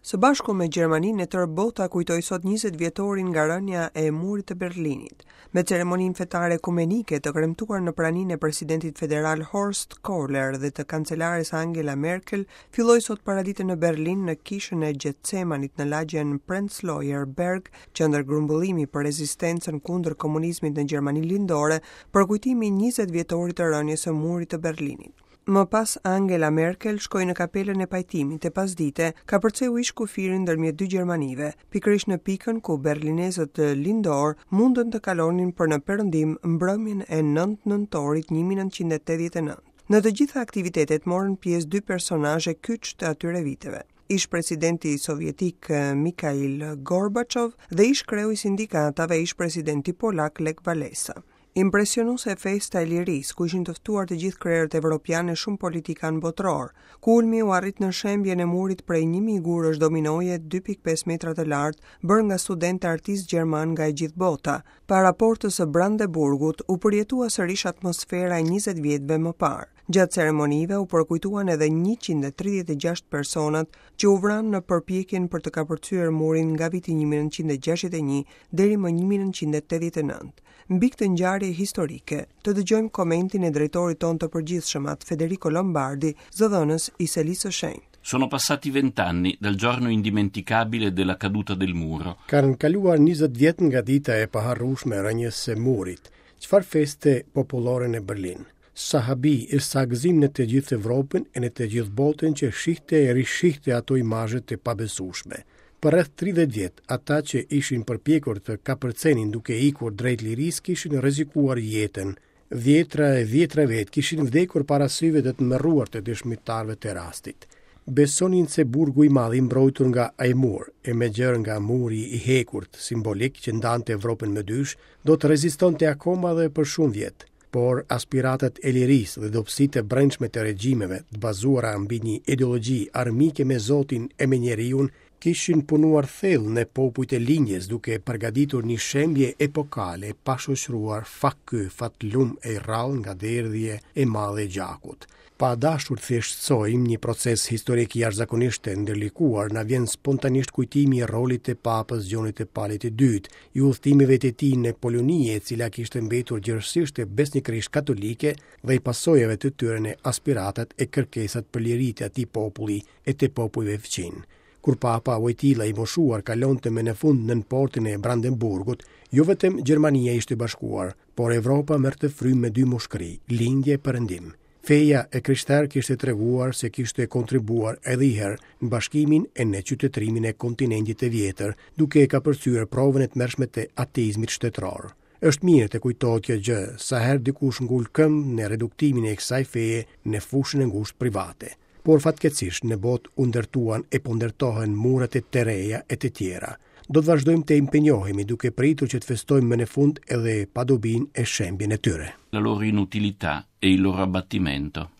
Së bashku me Gjermaninë e tërë bota kujtoi sot 20 vjetorin nga rënia e murit të Berlinit. Me ceremoninë fetare ekumenike të kremtuar në praninë e presidentit federal Horst Kohler dhe të kancelares Angela Merkel, filloi sot paradite në Berlin në kishën e Getsemanit në lagjen Prenzlauer Berg, qendër grumbullimi për rezistencën kundër komunizmit në Gjermaninë Lindore, përkujtimi i 20 vjetorit të rënies së murit të Berlinit. Më pas Angela Merkel shkoi në kapelën e pajtimit e pasdite kapërceu ish kufirin ndërmjet dy Gjermanive, pikërisht në pikën ku berlinezët lindorë mundën të kalonin për në perëndim mbrëmjen e 9 nëntorit 1989. Në të gjitha aktivitetet morën pjesë dy personazhe kyç të atyre viteve ish-presidenti sovjetik Mikhail Gorbachev dhe ish-kreu i sindikatave ish-presidenti polak Lech Walesa. Impresionuese festa e lirisë, ku ishin të ftuar të gjithë krerët evropianë e shumë politikanë botërorë. Kulmi u arrit në shembjen e murit prej 1000 gurësh dominoje 2.5 metra të lartë, bërë nga studentë e artistë gjermanë nga e gjithë bota. Para portës së Brandenburgut u përjetua sërish atmosfera e 20 vjetëve më parë. Gjatë ceremonive u përkujtuan edhe 136 personat që u vranë në përpjekjen për të kapërcyer murin nga viti 1961 deri më 1989. Mbi këtë ngjarje historike, të dëgjojmë komentin e drejtorit tonë të përgjithshëm, At Federico Lombardi, zëdhënës i Selisë së Shenjtë. Sono passati vent'anni dal giorno indimenticabile della caduta del muro. Kanë kaluar 20 vjet nga dita e paharrueshme e rënies së murit. Çfarë feste popullore në Berlin. Sa habi e sa gëzim në të gjithë Evropën e në të gjithë botën që shihte e rishihte ato imazhe të pabesueshme. Për rreth 30 vjet, ata që ishin përpjekur të kapërcenin duke ikur drejt lirisë kishin rrezikuar jetën. Dhjetra e dhjetra vetë kishin vdekur para syve të tmerruar të dëshmitarëve të rastit. Besonin se burgu i madh i mbrojtur nga ai mur, e më gjerë nga muri i hekurt simbolik që ndante Evropën më dysh, do të rezistonte akoma dhe për shumë vjet. Por aspiratat e lirisë dhe dobësitë e brendshme të regjimeve, të bazuara mbi një ideologji armike me Zotin e me njeriun, kishin punuar thellë në popujt e lindjes duke përgatitur një shembje epokale pa shoqëruar fak ky fatlum e i rrallë nga derdhje e madhe e gjakut. Pa dashur të thjeshtësojmë një proces historik jashtëzakonisht të ndërlikuar, na vjen spontanisht kujtimi i rolit të Papës Gjonit të Palit të Dytë, i udhëtimeve të tij në Poloni, e cila kishte mbetur gjerësisht e besnikërisht katolike dhe i pasojave të tyre në aspiratat e kërkesat për liri të atij populli e të popujve fqinj. Kur Papa Wojtyla i moshuar kalonte më në fund nën portën e Brandenburgut, jo vetëm Gjermania ishte bashkuar, por Evropa merrte frymë me dy mushkëri, lindje e perëndim. Feja e krishterë kishte treguar se kishte kontribuar edhe një herë në bashkimin e në qytetërimin e kontinentit të vjetër, duke e kapërcyer provën e tmerrshme të ateizmit shtetëror. Është mirë të kujtohet kjo gjë sa herë dikush ngul këmbë në reduktimin e kësaj feje në fushën e ngushtë private. Por fatkeqësisht në botë u ndërtuan e po ndërtohen mure të reja e të tjera. Do të vazhdojmë të impenjohemi duke pritur që të festojmë më në fund edhe padobinë e shembjen e tyre. La loro inutilità e il loro abbattimento.